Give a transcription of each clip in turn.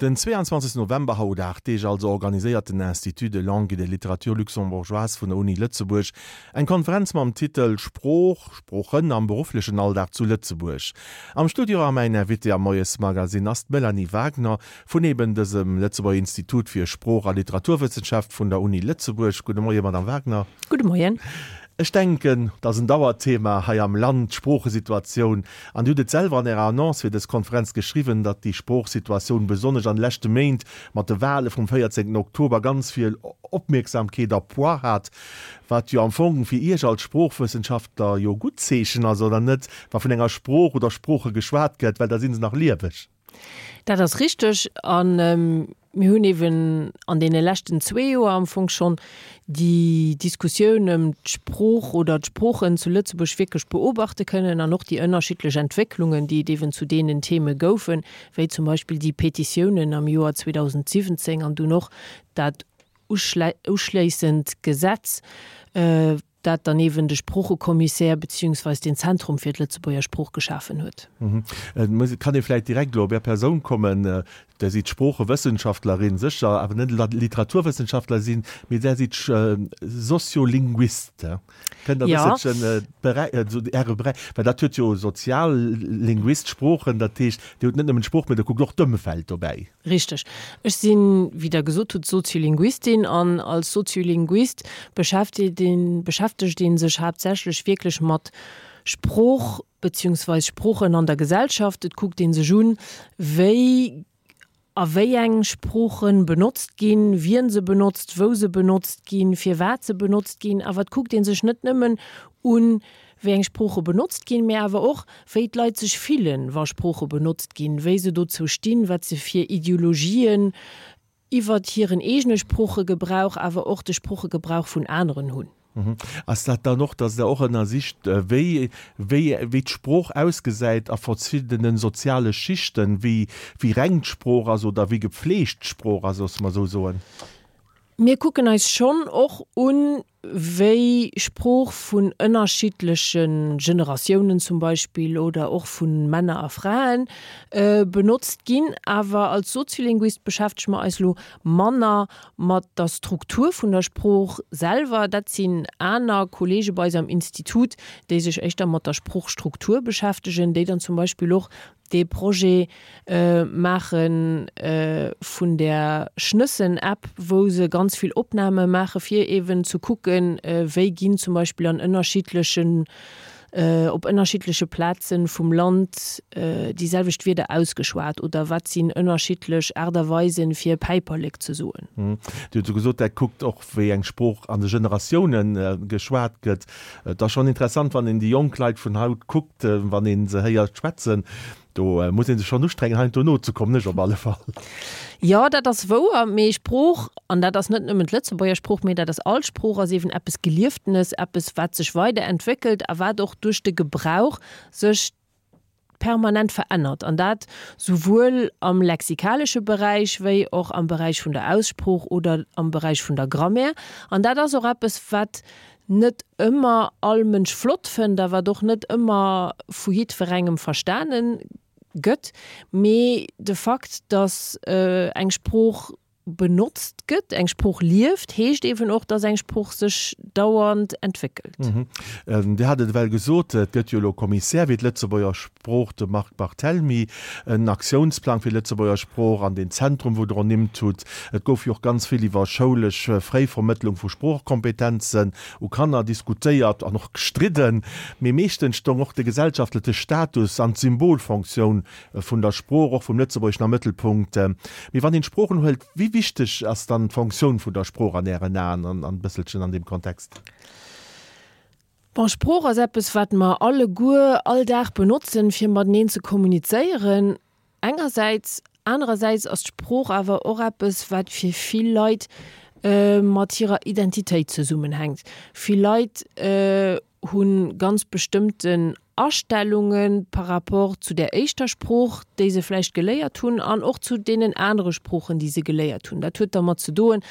Den 22 November, haut 8 Deeg also, organiséiert den Institut de langue et de littérature luxembourgeoise vun der Uni Lëtzebuerg eng Konferenz mam Titel Sprooch, Sproochen am berufflechen Alldag zu Lëtzebuerg. Am Studio a mäin Invité am Moiesmagazine ass d'Melanie Wagner vun eben dësem Lëtzebuerger Institut fir Sprooch a Literaturwëssenschaft vun der Uni Lëtzebuerg. Gudde Moien, Madame Wagner. Gudde Moien. Ech denken, et ass en Dauerthema hei am Land, d'Sproochesituatioun. An Dir hutt et selwer an Ärer Annonce fir dës Konferenz geschriwwen, datt déi Sproochsituatioun besonnesch an de leschte Méint mat de Wahle vum 14 Oktober ganz vill Opmierksamkeet a Poids hat, wat jo am Fong fir Iech als Sproochwëssenschaftler jo gutt Zeechen ass, oder net, wa vun enger Sprooch oder Sprooche geschwat gëtt, well da si se nach lieweg. Dat ass richteg. A mir hunn eeben an deene leschten zwee Joer am Fong schonn déi Diskussioun ëm d'Sprooch oder d'Sproochen zu Lëtzebuerg wierklech beobachte kënnen an och déi ënnerschiddlech Entwécklungen, déi et eeben zu deenen Theme goufen, wéi zum Beispill déi Petitiounen am Joer 2017 an dunn och dat uschléissend Gesetz, dat dann eeben de Sproochekommissär beziehungsweis den Zentrum fir d'Lëtzebuerger Sprooch geschafen huet. Et kann ee vläicht direkt elo op Är Persoun kommen. Der sidd Sproochewëssenschaftlerin, sécher, awer net Literaturwëssenschaftler sinn, mee Der sidd Soziolinguist. Kënnt Der e bësselchen Äre Beräich, well dat huet jo Soziallinguist, Sproochen, dat heescht, Dir hutt net nëmmen d'Sprooch, mee Der kuckt och d'Ëmfeld dobäi. Richteg. Ech sinn, wéi Der gesot hutt, Soziolinguistin an als Soziolinguist beschäftegt een, beschäftegt ee sech haaptsächlech wierklech mat Sprooch beziehungsweis Sproochen an der Gesellschaft. Et kuckt ee sech un, wéi a wéi eng Sprooche benotzt ginn, wien se benotzt, wou se benotzt ginn, firwat se benotzt ginn. Awer et kuckt ee sech net nëmmen un, wéi eng Sprooche benotzt ginn, mä awer och, wéi d'Leit sech fillen, wa Sprooche benotzt ginn, wéi se dozou stinn, wat se fir Ideologien iwwert hiren eegene Sproochegebrauch, awer och de Sproochegebrauch vun aneren hunn. Ass dat dann och, datt Der och ënnersicht, wéi, wéi, wéi d'Sprooch ausgesäit a verschiddene soziale Schichten, wéi, wéi reng d'Sprooch ass oder wéi gepfleegt d'Sprooch ass, loosse mer esou soen? Mir kucken eis schonn och un, wéi Sprooch vun ënnerschiddleche Generatiounen zum Beispill oder och vu Männer a Frae benotzt ginn. Awer als Soziolinguist beschäftege mer eis elo manner mat der Struktur vun der Sprooch selwer. Dat sinn aner Kollege bei eis am Institut, déi sech éischter mat der Sproochstruktur beschäftegen, déi dann zum Beispill och dee Projet maache vun där Schnëssen-App, wou se ganz vill Opname maache fir eeben ze kucken, wéi ginn zum Beispill an ënnerschiddlechen, op ënnerschiddleche Plaze vum Land déi selwecht Wierder ausgeschwat oder wat sinn ënnerschiddlech Aart a Weisen, fir Päiperlek ze soen. Dir hutt esou gesot, Der kuckt och, wéi eng Sprooch an de Generatioune geschwat gëtt. Et ass schonn interessant, wann een déi jonk Leit vun haut kuckt, wann ee se héiert schwätzen, do muss ee sech schonn ustrengen, heiansdo nozekommen, ech op alle Fall. Jo, dat ass wouer, mee Sprooch, an dat ass net nëmmen d'Lëtzebuerger Sprooch, mee dat ass all Sprooch, ass eeben eppes Gelieftenes, eppes, wat sech weiderentwéckelt a wat och duerch de Gebrauch sech permanent verännert, an dat souwuel am lexikalesche Beräich wéi och am Beräich vun der Aussprooch oder am Beräich vun der Grammaire. An dat ass och eppes, wat net ëmmer all Mënsch flott fënnt a wat och net ëmmer vu jiddwerengem verstane gëtt. Mee de Fakt, datt eng Sprooch benotzt gëtt, eng Sprooch lieft, heescht eeben och, dass eng Sprooch sech dauernd entwéckelt. Dir hat et ewell gesot, et gëtt jo elo e Kommissär fir d'Lëtzebuerger Sprooch, de Marc Barthelmy, en Aktiounsplang fir d'Lëtzebuerger Sprooch an deen Zentrum, wou Der ernimmt hutt. Et gouf jo och ganz vill iwwer schoulesch Fréivermëttlung vu Sproochkompetenzen u Kanner diskutéiert an och gestridden. Mee meeschtens stong och de gesellschaftleche Status an d'Symbolfonctioun Vun der Sprooch, och vum Lëtzebuergeschen am Mëttelpunkt. Mee wann een d'Sproochen huelt, wéi wichteg ass dann d'Fonctioun vun der Sprooch an Ären Aen an e bësselchen an deem Kontext? Bon, Sprooch ass eppes, wat mer alleguer all Dag benotzen, fir mateneen ze kommunizéieren engersäits. Anerersäits ass d'Sprooch awer och eppes, wat fir vill Leit mat hirer Identitéit zesummenhänkt. Vill Leit hu ganz bestëmmten Astellunge par rapport zu där éischter Sprooch, déi se vläicht geléiert hunn, an och zu deenen anere Sproochen, déi se geléiert hunn. Dat huet dermat ze doen,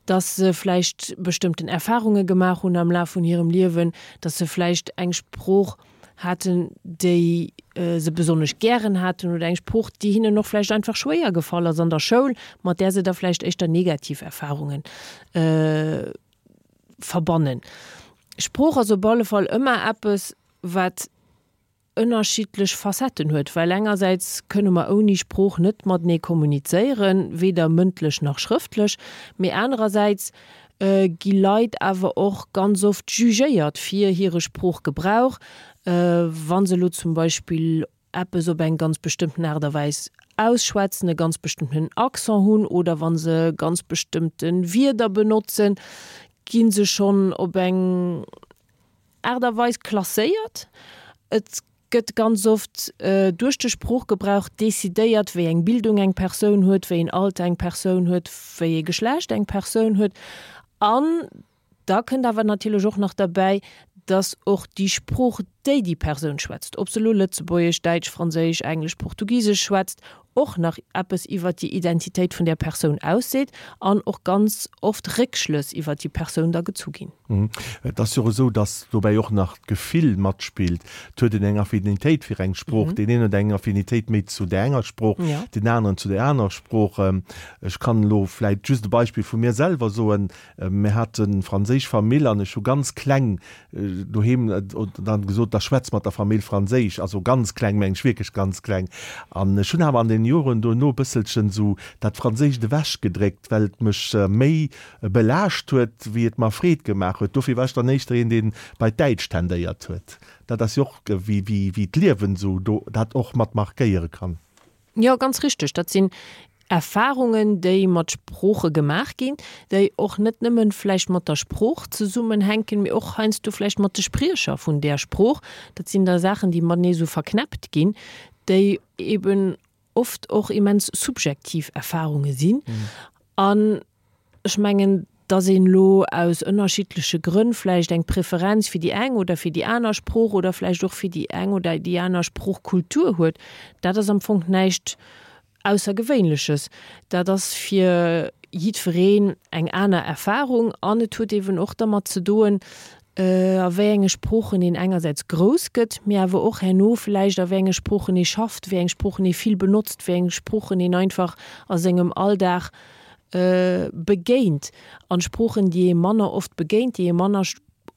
dass se vläicht bestëmmten Erfarunge gemaach hunn am Laf vun hirem Liewen, dass se vläicht eng Sprooch. haten, déi se besonnesch gären haten, oder eng Sprooch, déi hinnen och vläicht einfach schwéier gefall ass an der Schoul, mat där se da vläicht éischter negativ Erfarungen verbannen. Sprooch ass op alle Fall ëmmer eppes, wat ënnerschiddlech Facetten huet, well engersäits kënne mer ouni Sprooch net matenee kommunizéieren, weder mëndlech nach schrëftlech, mee anerersäits gi Leit awer och ganz oft jugéiert fir hire Sproochgebrauch, wa se elo zum Beispill eppes op eng ganz bestëmmten Aart a Wäis ausschwätzen, e ganz bestëmmtenen Accent hunn oder wa se ganz bestëmmte Wierder benotzen, gi se schonn op eng Aart a Weis klasséiert. Et gëtt ganz oft duerch de Sproochgebrauch decidéiert, wéi eng Bildung eng Persoun huet, wéi een Alter eng Persoun huet, wéi ee Geschlecht eng Persoun huet. An da kënnt awer natierlech och nach derbäi, dass och déi Sprooch, déi déi Persoun schwätzt, ob se elo Lëtzebuergesch, Däitsch, Franséisch, Englesch, Portugisesch schwätzt, och nach eppes iwwert déi Identitéit vun där Persoun ausseet an och ganz oft Réckschlëss iwwert déi Persoun da gezu ginn. Et ass jo och esou, dass dobäi och nach d'Gefill matspillt. Et huet een eng Affinitéit fir eng Sprooch. Deen een huet eng Affinitéit méi zu där enger Sprooch, deen aneren zu där anerer Sprooch. Ech kann elo vläit just e Beispill vu mir selwer soen. Mir hate franséisch Famill an ech hu ganz kleng doheem dann gesot, da schwätz mat der Famill Franséisch, also ganz kleng mengen ech wierklech ganz kleng. An ech hunn awer an den Joren dono e bësselchen esou dat Franséischt ewech gedréckt, well et mech méi belaascht huet, wéi et mer Freed gemaach huet. Dofir war ech dann éischter een, deen bei d'Däitscht tendéiert huet. Dat ass jo och wéi wéi d'Liewen esou do dat och mat markéiere kann. Jo, ganz richteg. Dat sinn Erfarungen, déi mat Sprooche gemaach ginn, déi och net nëmmen vläicht mat der Sprooch zesummenhänken, mee och heiansdo vläicht mat de Spriecher vun där Sprooch. Dat sinn da Saachen, déi matenee esou verknäppt ginn, déi eben oft och immens subjektiv Erfarunge sinn. An Ech mengen, dass een elo aus ënnerschiddleche Grënn vläicht eng Preferenz fir déi eng oder fir déi aner Sprooch oder vläicht och fir déi eng oder déi aner Sproochkultur huet, dat ass am Fong näischt Aussergewéinleches. Dat ass fir jiddwereen eng aner Erfahrung an et huet eeben och dermat ze doen, a wéi enge Sproochen een engersäits grouss gëtt, mee awer och herno vläicht a wéi enge Sproochen ee schafft, wéi eng Sproochen ee vill benotzt, wéi eng Sproochen een einfach a sengem Alldag begéint. An Sproochen, déi ee manner oft begéint, déi ee manner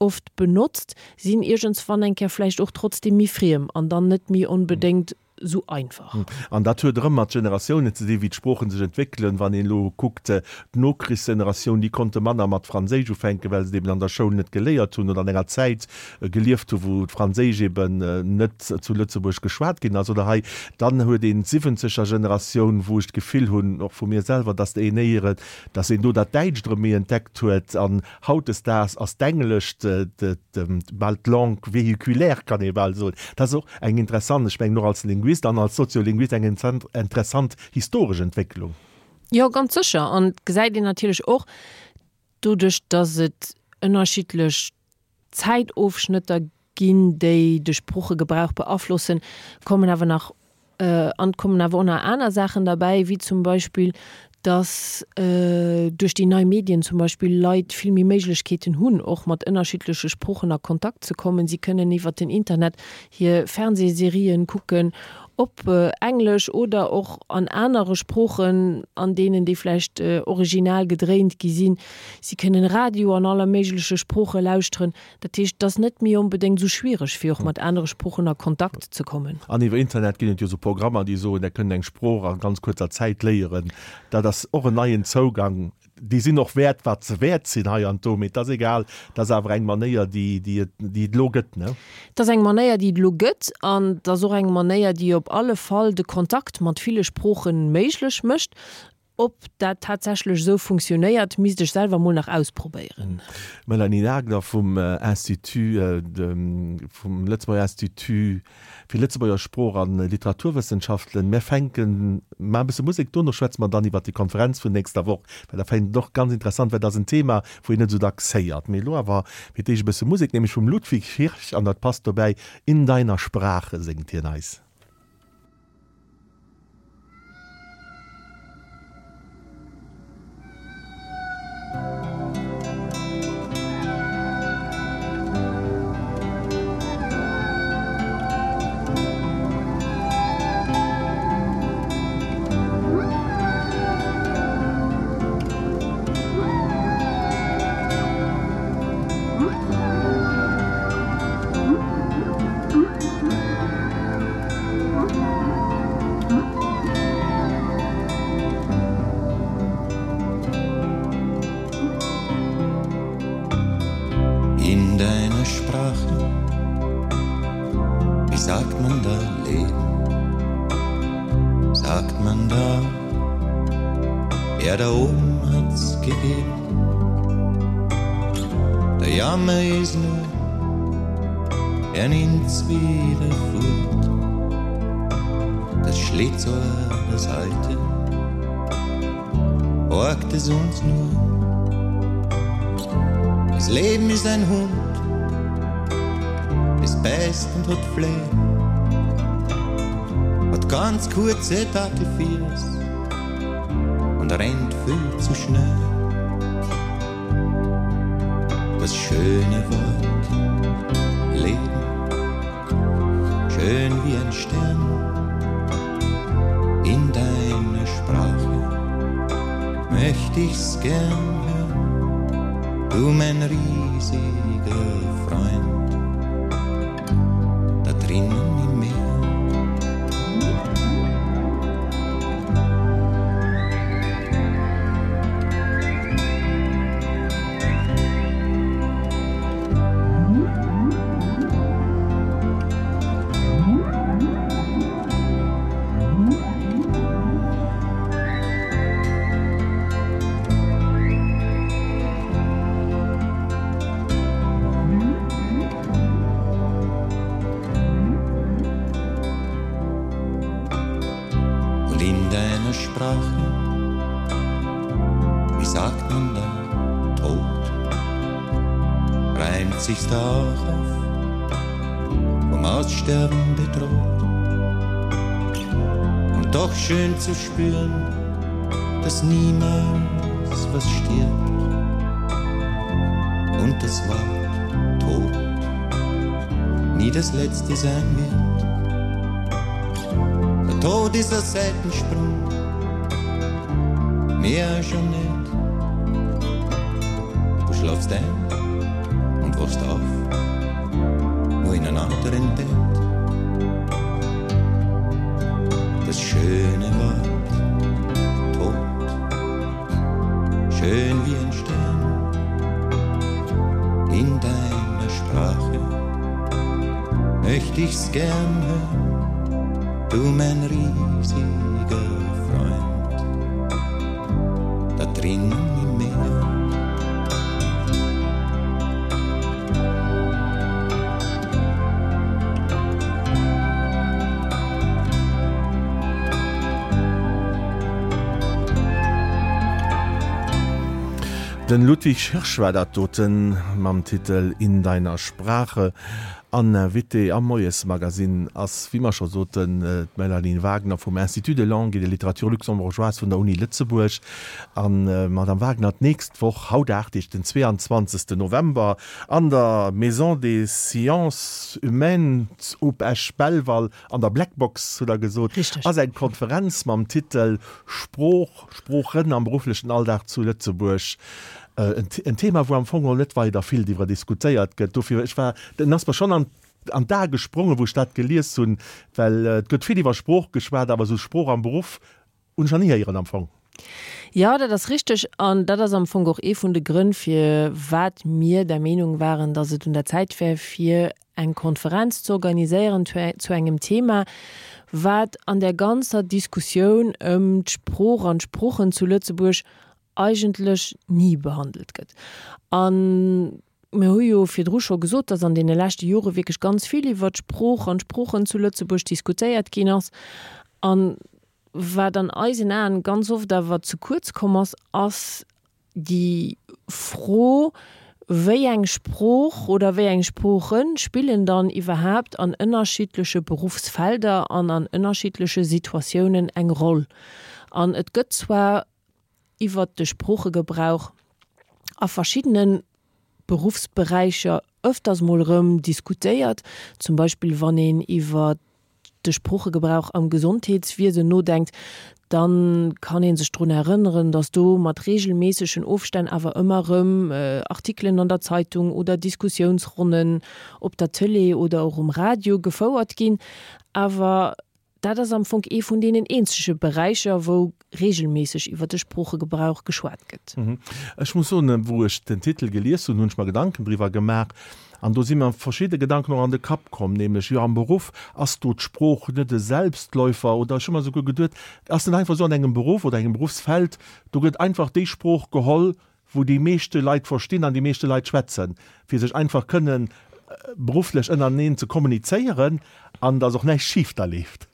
oft benotzt, sinn iergendswann eng Kéier vläicht och trotzdeem méi friem an dann net méi onbedéngt esou einfach. An dat huet erëm mat Generatiounen ze dinn, wéi d'Sproochen sech entwéckelen. Wann een elo kuckt, d'Nokrichsgeneratioun, déi konnte manner mat Franséisch ufänken, well se et eben an der Schoul net geléiert hunn oder an enger Zäit gelieft hu wou d'Franséisch eben net zu Lëtzebuerg geschwat ginn ass oder hei. Dann huet een d'siwwenzeger Generatioun, wou ech d'Gefill hunn, och vu mir selwer, datt een éiere, datt een do dat Däitscht erëm méi entdeckt huet. An hautdesdaags ass d'Englescht bal d'Langue véhiculaire, kann ee bal soen. Dat ass och eng interessant, ech mengen och als Linguist an als Soziolinguist eng interessant historesch Entwécklung. Jo, ganz sécher. An et gesäit een natierlech och, doduerch datt et ënnerschiddlech Zäitofschnëtter ginn, déi de Sproochegebrauch beaflossen, kommen awer nach an kommen awer och nach aner Saachen derbäi, wéi zum Beispill, dass duerch déi nei Medien zum Beispill Leit vill méi Méiglechkeeten hunn, och mat ënnerschiddleche Sproochen a Kontakt ze kommen. Si kënnen iwwert den Internet hir Fernsehserien kucken, op Englesch oder och an anere Sproochen, an deenen déi vläicht original gedréint gi sinn. Si kënnen Radio an aller méigleche Sprooche lauschteren. Dat heescht, et ass net méi onbedéngt esou schwiereg, fir och mat anere Sproochen a Kontakt ze kommen. An iwwer Internet ginn et jo esou Programmer, déi soen, der kënnt eng Sprooch a ganz kuerzer Zäit léieren. Dat ass och en neien Zougang. Déi sinn och wäert, wat se wäert sinn hei an do, mee et ass egal. Et ass awer eng Manéier, déi, déi et, déi et elo gëtt, ne? Et ass eng Manéier, déi et elo gëtt an et ass och eng Manéier, déi op alle Fall de Kontakt mat ville Sprooche méiglech mécht. Ob dat tatsächlech esou funktionéiert, misst ech selwer mol nach ausprobéieren. D'Melanie Nagler vum Institut, vum Lëtzebuerger Institut fir Lëtzebuerger Sprooch a Literaturwëssenschaften. Mir fänken, maachen e bësse Musek, dono schwätze mer dann iwwert déi Konferenz vun nächster Woch, well dat fannen ech och ganz interessant, well dat ass en Thema, wou een net esou dacks héiert. Mee elo awer fir d'éischt e bësse Musek, nämlech vum Ludwig Hirsch, an dat passt dobäi, In deiner Sprache séngt hien eis. sagt man da Leben? Sagt man da, er da oben hat's gegeben? Der Jammer ist nur, er nimmt's wieder fort. Das Schlitzohr, das alte, borgt es uns nur. Das Leben ist ein Hund, es beißt und hat Flair, hat ganz kurze Dackelfiers und rennt viel zu schnell. Das schöne Wort Leben, schön wie ein Stern in deiner Sprache möcht ich's gern hören, du mein riesiger Freund, da drinnen im Meer. Und in deiner Sprache, wie sagt man da, Tod, reimt sich's da auch auf, vom Aussterben bedroht. Und doch schön zu spüren, dass niemals was stirbt und das Wort Tod nie das letzte sein wird. Der Tod ist ein Seitensprung, mehr schon nicht. Du schlafst ein und wachst auf, nur in einem anderen Bett. Das schöne Wort Tod, schön wie ein Stern in deiner Sprache möcht ich's gern hören, du mein riesiger Freund, da drinnen im Meer. Den Ludwig Hirsch war dat doten mam Titel In deiner Sprache. An Invitée am Moiesmagazin ass, wéi mer scho soten, d'Melanie Wagner vum Institut de langue et de littérature luxembourgeoise vun der Uni Lëtzebuerg. An, Madame Wagner, d'nächst Woch, haut 8 Deeg, den 22. November, an der Maison des Sciences Humaines op Esch-Belval, an der Blackbox, hutt Der gesot, ass eng Konferenz mam Titel Sprooch, Sproochen am berufflechen Alldag zu Lëtzebuerg. En Thema, wou am Fong geholl net weider vill driwwer diskutéiert gëtt. Dofir, ech war, den ass mer schonn an an d'Ae gesprongen, wou ech dat gelies hunn, well et gëtt vill iwwer Sprooch geschwat, awer esou Sprooch am Beruff hunn ech nach ni héieren am Fong. Jo, dat ass richteg. An dat ass am Fong och ee vun de Grënn, firwat mir der Meenung waren, datt et un der Zäit wär, fir eng Konferenz ze organiséieren zu engem Thema, wat an där ganzer Diskussioun ëm d'Sprooch an d'Sproochen zu Lëtzebuerg eigentlech ni behandelt gëtt. A mir hu jo virdru scho gesot, datt an deene leschte Jore wierklech ganz vill iwwert d'Sprooch an d'Sproochen zu Lëtzebuerg diskutéiert ginn ass. A wat an eisen Aen ganz oft awer ze kuerz komm ass, ass déi Fro, wéi eng Sprooch oder wéi eng Sprooche spillen dann iwwerhaapt an ënnerschiddleche Beruffsfelder an an ënnerschiddleche Situatiounen eng Roll. An et gëtt zwar iwwert de Sproochegebrauch a verschiddene Beruffsberäicher ëfters mol erëm diskutéiert, zum Beispill wann een iwwer de Sproochegebrauch am Gesondheetswiesen nodenkt, da kann ee sech drun erënneren, datt do mat reegelméissegen Ofstänn awer ëmmer erëm Artikelen an der Zeitung oder Diskussiounsronnen op der Tëlee oder och um Radio gefouert ginn. Awer dat ass am Fong ee vun deenen eenzege Beräicher, wou reegelméisseg iwwer de Sproochegebrauch geschwat gëtt. Ech muss soen, wou ech den Titel gelies hunn, hunn ech mer Gedanken driwwer gemaach. An do si mer verschidde Gedanken och an de Kapp komm, nämlech, jo am Beruff ass do d'Sprooch net e Selbstläufer oder ech hu mer esouguer geduet, ass net einfach esou an engem Beruff oder engem Beruffsfeld, do gëtt einfach déi Sprooch geholl, wou déi meeschte Leit verstinn an déi meeschte Leit schwätzen, fir sech einfach kënnen berufflech ënnereneen ze kommunizéieren an dass och näischt schif da leeft.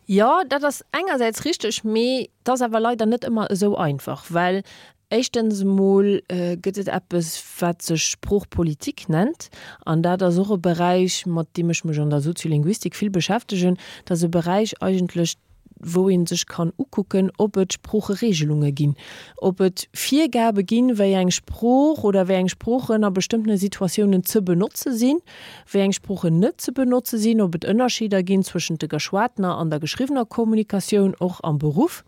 Jo, dat ass engersäits richteg, mee et ass awer leider net ëmmer esou einfach, well éischtens emol gëtt et eppes, wat sech Sproochpolitik nennt, an dat ass och e Beräich, mat deem ech mech an der Soziolinguistik vill beschäftegen. Dat ass e Beräich eigentlech, wou ee sech kann ukucken, ob et Sproocheregelunge ginn, ob et Virgabe ginn, wéi eng Sprooch oder wéi eng Sproochen a bestëmmtene Situatiounen ze benotze sinn, wéi eng Sproochen net ze benotze sinn, ob et Ënnerscheeder ginn zwëschent de geschwatener an der geschriwwener Kommunikatioun, och am Beruff.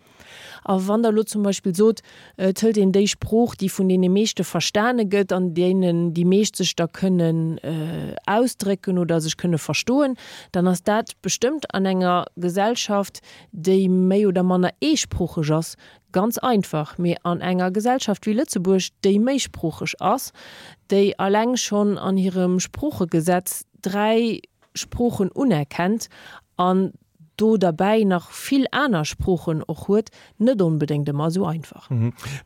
A wann Der elo zum Beispill sot, et hëlt een déi Sprooch, déi vun deene meeschte verstane gëtt, an deenen déi meescht sech da kënnen ausdrécken oder sech kënne verstoen, dann ass dat bestëmmt an enger Gesellschaft, déi méi oder manner eesproocheg ass, ganz einfach. Mee an enger Gesellschaft wéi Lëtzebuerg, déi méisproocheg ass, déi alleng schonn an hirem Sproochegesetz 3 Sproochen unerkennt an do derbäi nach vill aner Sproochen och huet, net onbedéngt ëmmer esou einfach.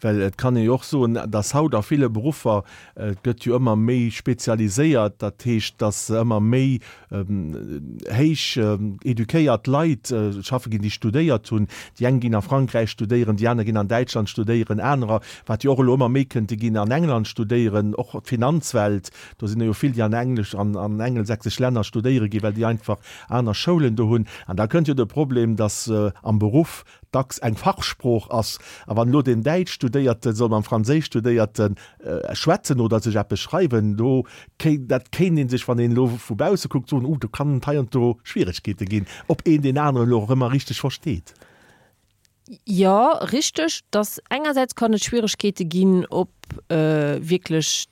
Well et kann ee jo och soen, dass haut a ville Beruffer, et gëtt jo ëmmer méi spezialiséiert, dat heescht, dass ëmmer méi héich eduquéiert Leit schaffe ginn, déi studéiert hunn. Déi eng ginn a Frankräich studéieren, déi aner ginn an Däitschland studéieren, anerer, wat jo och elo ëmmer méi kënnt, déi ginn an England studéieren, och d'Finanzwelt, do sinn der jo vill, déi an englesch, an angelsächsesch Länner studéiere ginn, well déi einfach aner Schoulen do hunn. An da kënnt jo de Problem, dass am Beruff dacks eng Fachsprooch ass. A wann elo deen Däitschstudéierte soll mam Franséischstudéierte schwätzen oder sech eppes schreiwen, do kéint, dat kéint ee sech, wann een elo vu bausse kuckt, soen, Uh, do kann et hei an do Schwieregkeete ginn, ob een deen aneren elo och ëmmer richteg versteet. Jo, richteg, dass engersäits kann et Schwieregkeete ginn, ob wierklech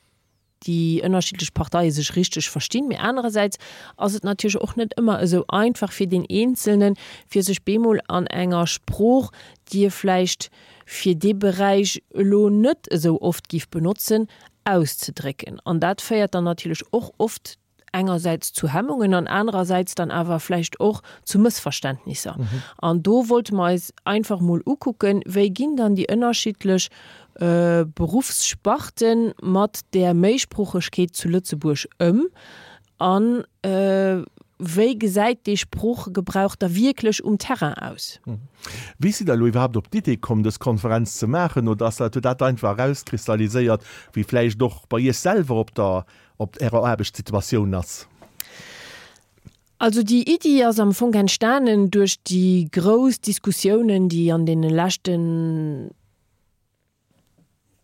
déi ënnerschiddlech Parteie sech richteg verstinn, mee anerersäits ass et natierlech och net ëmmer esou einfach fir deen Eenzelnen, fir sech bemol an enger Sprooch, déi e vläicht fir dee Beräich elo net esou oft giff benotzen, auszedrécken. An dat féiert dann natierlech och oft engersäits zu Hemmungen an anerersäits dann awer vläicht och zu Mëssverständnisser. An do wollte mer eis einfach mol ukucken, wéi ginn dann déi ënnerschiddlech Beruffssparte mat där Méisproochegkeet zu Lëtzebuerg ëm a wéi gesäit dee Sproochegebrauch da wierklech um Terrain aus? Wéi sidd Der elo iwwerhaapt op d'Idee komm, dës Konferenz ze maachen? Oder ass dat, huet dat einfach erauskristalliséiert, wéi vläicht och bei Iech selwer op der Op Ärer Aarbechtssituatioun ass. Also déi Iddi ass am Fong entstanen duerch déi grouss Diskussiounen, déi an deene leschte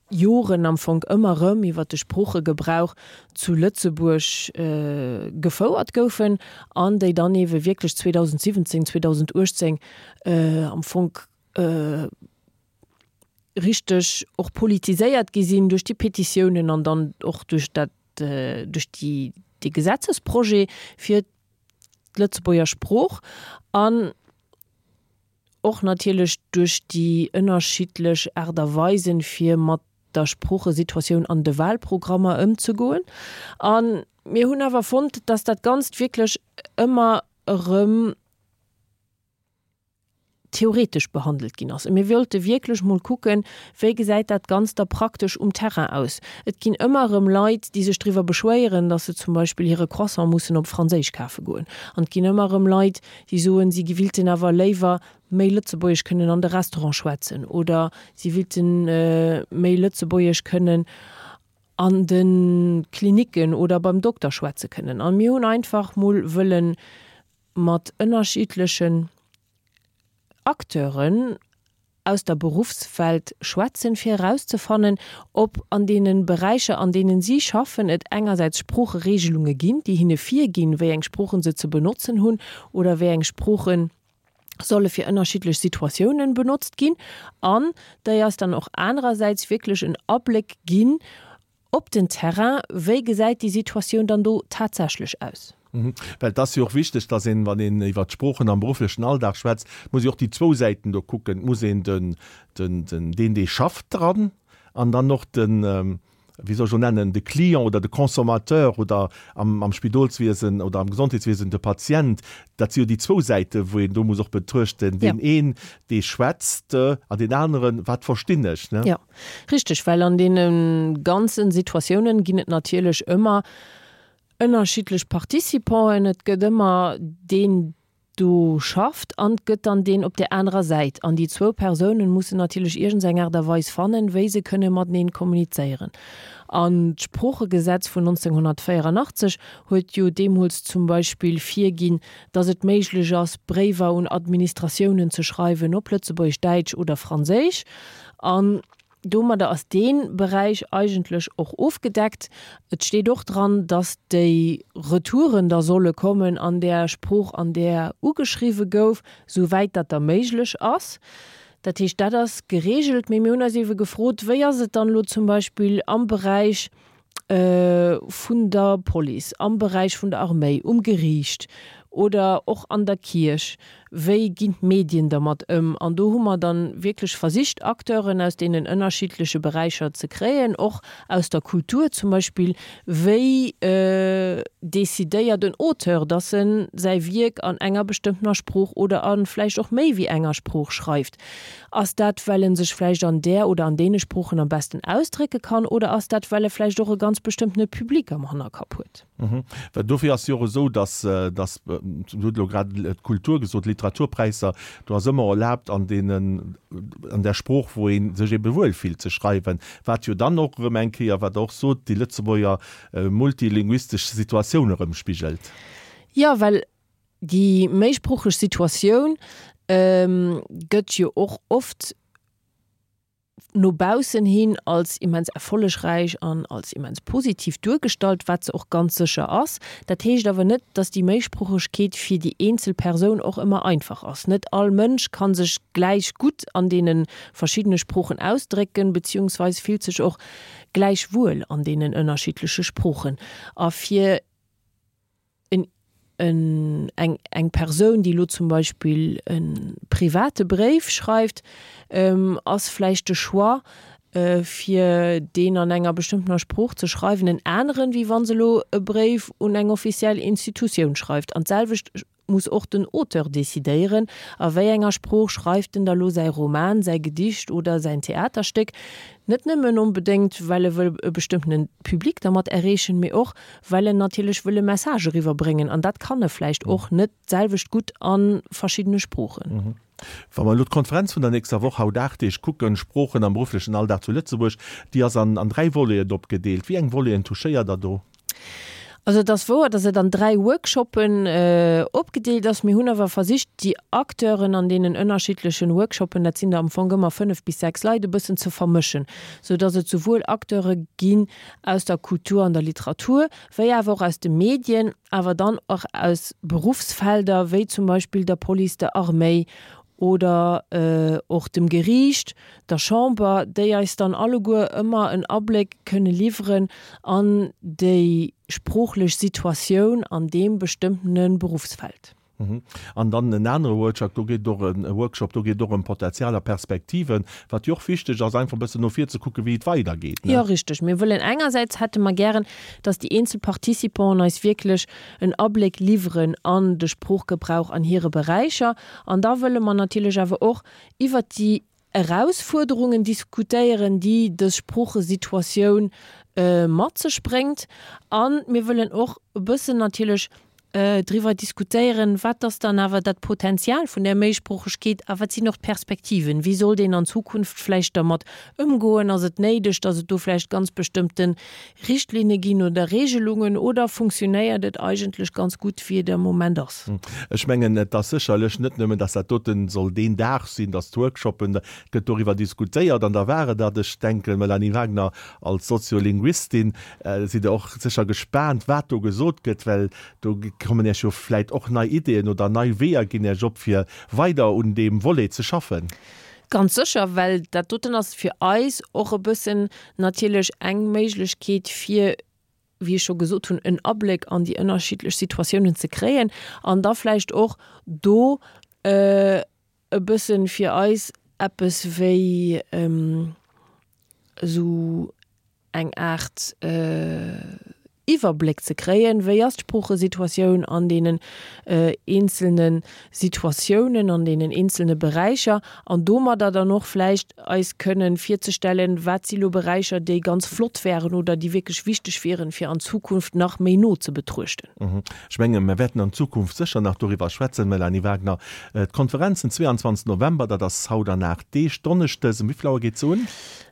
Joren am Fong ëmmer erëm iwwert de Sproochegebrauch zu Lëtzebuerg gefouert goufen an déi dann eebe wierklech 2017, 2018 am Fong richteg och politiséiert gi sinn duerch déi Petitiounen an dann och duerch dat, duerch déi, dee Gesetzesprojet fir d'Lëtzebuerger Sprooch an och natierlech duerch déi ënnerschiddlech Aart a Weisen, fir mat der Sproochesituatioun an de Wahlprogrammer ëmzegoen. A mir hunn awer fonnt, dass dat Ganzt wierklech ëmmer erëm theoretesch behandelt ginn ass. A mir wollte wierklech mol kucken, wéi gesäit dat Ganzt da praktesch um Terrain aus. Et ginn ëmmer erëm Leit, déi sech driwwer beschwéieren, datt se zum Beispill hire Croissant mussen op Franséisch kafe goen. An et ginn ëmmer erëm Leit, déi soen, si wilten awer léiwer méi Lëtzebuergesch kënnen an de Restaurant schwätzen oder si willte méi Lëtzebuergesch kënnen an de Klinicken oder beim Dokter schwätze kënnen. A mir hunn einfach mol wëllen mat ënnerschiddlechen Acteuren aus der Beruffswelt schwätzen, fir erauszefannen, ob an deene Beräicher, an deenen si schaffen, et engersäits Sproocheregelunge ginn, déi hinne virginn, wéi eng Sproochen se ze benotzen hunn oder wéi eng Sprooche solle fir ënnerschiddlech Situatiounen benotzt ginn, an déi eis dann och anerersäits wierklech en Abléck ginn, Op den Terrain, wéi gesäit déi Situatioun dann do tatsächlech aus? Well et ass jo och wichteg, dass een, wann een iwwert d'Sproochen am berufflechen Alldag schwätzt, muss ee och déi zwou Säiten do kucken. Et muss een den, den, den, deen, dee schafft dran an dann och den. wéi soll ech elo nennen, de Client oder de Consommateur oder am, am Spidolswiesen oder am Gesondheetswiesen de Patient, dat si jo déi zwou Säiten, wou een do muss och betruechten, deen een, dee schwätzt an deen aneren, wat verstinn ech, ne? Jo, richteg, well an deene ganzen Situatiounen ginn et natierlech ëmmer ënnerschiddlech Participanten. Et gëtt ëmmer deen, do schafft an 't gëtt dann deen op där anerer Säit. An déi zwou Persounen mussen natierlech iergendseng Aart a Weis fannen, wéi se kënne mateneen kommunizéieren. An d'Sproochegesetz vun 1984 huet jo deemools zum Beispill virginn, dass et méiglech ass, Bréiwer un Administratiounen ze schreiwen op Lëtzebuergesch, Däitsch oder Franséisch. An Domadder ass dee Beräich eigentlech och ofgedeckt. Et steet och dran, dass déi Retouren da solle kommen an där Sprooch, an där ugeschriwwe gouf, souwäit dat da méiglech ass. Dat heescht, dat ass geregelt. Mee mir hunn eis eebe gefrot, Wéi ass et dann elo zum Beispill am Beräich vun der Police, am Beräich vun der Arméi, um Geriicht oder och an der Kierch, wéi ginn d'Medien dermat ëm? An do hu mer dann wierklech versicht, Acteuren aus deenen ënnerschiddleche Beräicher ze kréien, och aus der Kultur zum Beispill, wéi decidéiert en Auteur, dass en säi Wierk an enger bestëmmtener Sprooch oder a vläicht och méi wéi enger Sprooch schreift? Ass dat, well en sech vläicht an där oder an deene Sproochen am besten ausdrécke kann, oder ass dat, well e vläicht och e ganz bestëmmtene Public am Hannerkapp huet? Well dofir ass jo och esou, dass, dass, Dir hutt elo grad d'Kultur gesot, d'Literaturpräisser, do ass ëmmer erlaabt an deenen, an där Sprooch, wou ee sech ebe wuel fillt, ze schreiwen, wat jo dann och erëm eng Kéier, wat Der och sot, déi Lëtzebuerger multilinguistesch Situatioun erëmspigelt. Jo, well Déi méisproocheg Situatioun gëtt jo och oft no baussen hin als immens erfollegräich an als immens positiv duergestallt, wat se och ganz sécher ass. Dat heescht awer net, datt déi Méisproochegkeet fir déi eenzel Persoun och ëmmer einfach ass. Net all Mënsch ka sech gläich gutt an deene verschiddene Sproochen ausdrécken, beziehungsweis fillt sech och gläich wuel an deenen ënnerschiddleche Sproochen. A fir en, en, eng, eng Persoun, déi elo zum Beispill e private Bréif schreift, ass vläicht de Choix, fir deen an enger bestëmmtener Sprooch ze schreiwen, en aneren, wéi wa se elo e Bréif un eng offiziell Institutioun schreift. An d'selwecht muss och den Auteur decidéieren, a wéi enger Sprooch schreift en da lo säi Roman, säi Gedicht oder säin Theaterstéck. Net nëmmen onbedéngt, well e wëll e bestëmmtene Public dermat erreechen, mee och, well en natierlech wëll e Message eriwwerbréngen an dat kann e vläicht och net d'selwecht gutt a verschiddene Sproochen. Wa mer elo d'Konferenz vun der nächster Woch, haut 8 Deeg, kucken, Sproochen am berufflechen Alldag zu Lëtzebuerg, déi ass an an 3 Voleten opgedeelt. Wéi eng Voleten touchéiert Der do? Also et ass wouer, datt et an 3 Workshoppen opgedeelt ass. Mir hunn awer versicht, déi Acteuren an deenen ënnerschiddlechen Workshoppen, dat sinn der am Fong ëmmer 5 bis 6 Leit, e bëssen ze vermëschen, sou datt et souwuel Acteure ginn aus der Kultur an der Literatur, wéi awer och aus de Medien, awer dann och aus Beruffsfelder, wéi zum Beispill der Police, der Arméi oder och dem Geriicht, der Chamber, déi eis dann alleguer ëmmer en Abléck kënne liwweren an déi sproochlech Situatioun an deem bestëmmtene Beruffsfeld. An dann en anere Workshop, do geet et och e Workshop, do geet et och ëm Potenzial a Perspektiven, wat jo och wichteg ass, einfach e bëssen no vir ze kucken, wéi et weidergeet, ne? Jo, richteg. Mir wëllen engersäits hätte mer gären, dass déi eenzel Participanten eis wierklech en Abléck liwweren an de Sproochgebrauch an hire Beräicher. An da wëlle mer natierlech awer och iwwert déi Erausfuerderungen diskutéieren, déi dës Sproochesituatioun mat sech bréngt. A mir wëllen och e bëssen natierlech driwwer diskutéieren, wat ass dann awer dat Potenzial vun där Méisproochegkeet a wat sinn och d'Perspektiven? Wéi sollt een an Zukunft vläicht dermat ëmgoen? Ass et néideg, datt et do vläicht ganz bestëmmte Richtlinne ginn oder Regelungen oder funktionéiert et eigentlech ganz gutt, wéi et am Moment ass? Ech mengen, et ass sécherlech net nëmmen, dass dat doten soll deen Dag sinn, dass d'Workshoppen, et gëtt doriwwer diskutéiert an da war et dat. Ech denken, Melanie Wagner, als Soziolinguistin sidd Der och sécher gespaant, wat do gesot gëtt, well do kommen Iech jo vläit och nei Ideeën oder nei Weeër ginn Iech op, fir weider un deem Volet ze schaffen. Ganz sécher, well dat doten ass fir eis och e bëssen natierlech eng Méiglechkeet, fir, wéi ech scho gesot hunn, en Abléck an déi ënnerschiddlech Situatiounen ze kréien an da vläicht och do e bëssen fir eis eppes wéi esou. eng Aart Iwwerbléck ze kréien, wéi ass d'Sproochesituatioun an deenen eenzelne Situatiounen, an deenen eenzelne Beräicher, an domadder dann och vläicht eis kënnen virzestellen, wat si lo Beräicher, déi ganz flott wären oder déi wierklech wichteg wieren, fir an Zukunft nach méi no ze betruechten. Ech menge mer wäerten an Zukunft sécher nach doriwwer schwätzen, Mélanie Wagner. D'Konferenz den 22 November, dat ass haut an 8 Deeg, donneschdes, um wéi vill Auer geet se un?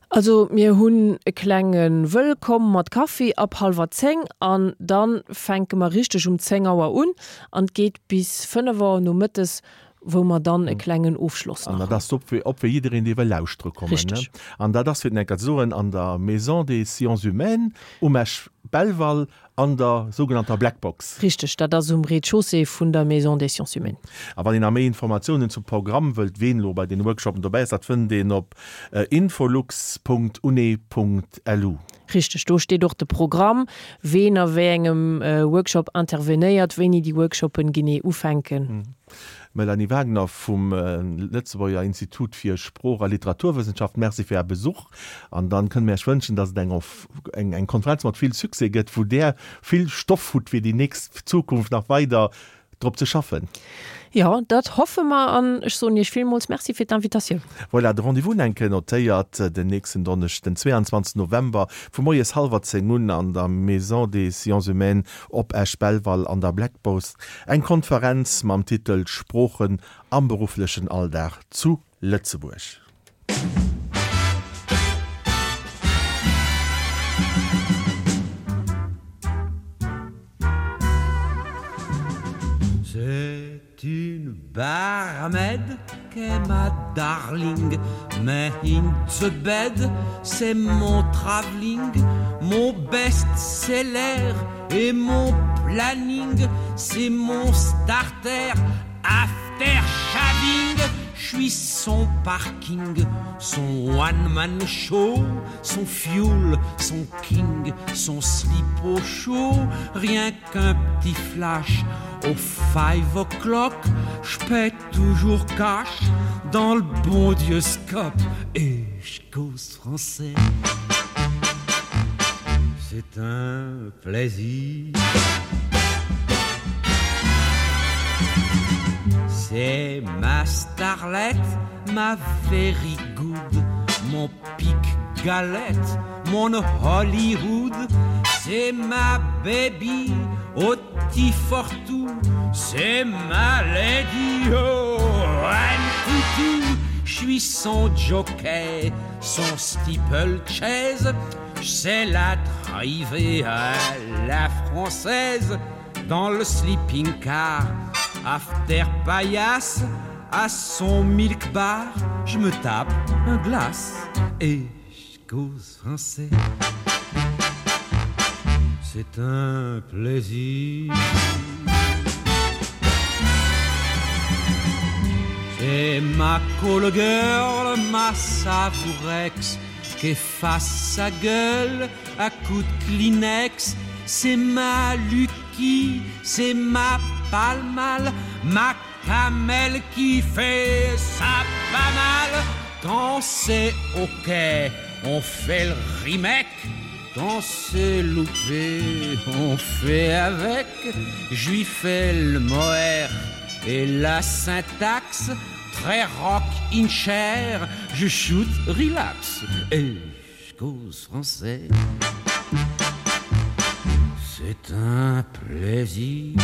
Also mir hunn e klenge Wëllkomm mat Kaffi ab hallwer 10 an dann fänke mer richteg um 10 Auer un an et geet bis 5 Auer nomëttes, wou mer dann e klengen Ofschloss nach hunn. An dat ass op fir op fir jiddereen dee wëll lauschtere kommen, ne? Richteg. An dat ass fir et enker ze soen an der Maison des Sciences Humaines um Esch-Belval An der sougenannter Black Box. Richteg, dat ass um Rez-de-chaussée vun der Maison des Sciences Humaines. A wann een nach méi Informatiounen zum Programm wëllt, ween elo bei den Workshopen dobäi ass, dat fënnt een op infolux.une.lu. Richteg, do steet och de Programm, ween a wéi engem Workshop intervenéiert, wéini déi Workshopen genee ufänken. Mélanie Wagner vum Lëtzebuerger Institut fir Sprooch a Literaturwëssenschaft, Merci fir Är Besuch. An dann kënne mir Iech wënschen, dass et eng eng Konferenz mat vill Succès gëtt, wou Der vill Stoff hutt fir déi nächst Zukunft nach weider drop ze schaffen. Jo, dat hoffe mer an ech soen Iech villmools Merci fir d'Invitatioun. Voilà, de Rendez-vous enke notéiert, den nächsten Donneschden, den 22 November, vu moies hallwer 10 un an der Maison des Sciences Humaines op Esch-Belval an der Black Box eng Konferenz mam Titel Sproochen am berufflechen Alldag zu Lëtzebuerg. C'est une barmaid qu'est ma darling, mais in the bed, c'est mon travelling, mon best-seller et mon planning, c'est mon starter after shaving. Je suis son parking, son one-man show, son fuel, son king, son slip au chaud, rien qu'un petit flash au five o'clock, je paie toujours cash dans le bon Dieu scope et je cause français. C'est un plaisir. C'est ma starlette, ma very good, mon pic galette, mon Hollywood, c'est ma baby au petit fortou, c'est ma lady oh, toutou. Je suis son jockey, son steeplechase, c'est la driver à la française dans le sleeping car, after paillasse, à son milk bar, je me tape un glace et je cause français. C'est un plaisir. C'est ma call girl, ma savourex, qu'efface sa gueule à coups de Kleenex. C'est ma Lucky, c'est ma palmale, ma camelle qui fait ça pas mal. Quand c'est ok, on fait le remake. Quand c'est loupé, on fait avec. J'ui fais le moher et la syntaxe très rock in chair, je shoot relax et je cause français. C'est un plaisir.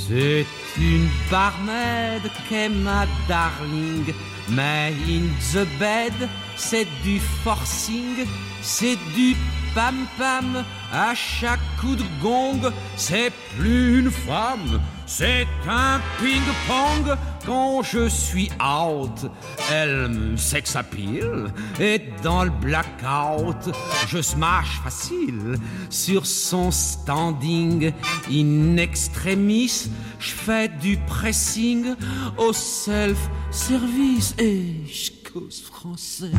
C'est une barmaid qu'est ma darling, mais in the bed, c'est du forcing, c'est du pam-pam à chaque coup de gong, c'est plus une femme, c'est un ping-pong quand je suis out. Elle me sexapile et dans le blackout, je smash facile sur son standing in extremis, je fais du pressing au self-service et je cause français.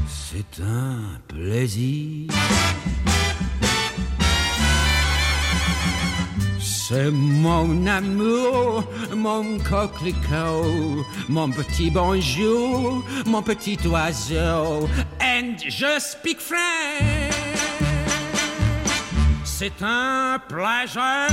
C'est un plaisir. C'est mon amour, mon coquelicot, mon petit bonjour, mon petit oiseau. And je speak French. C'est un pleasure.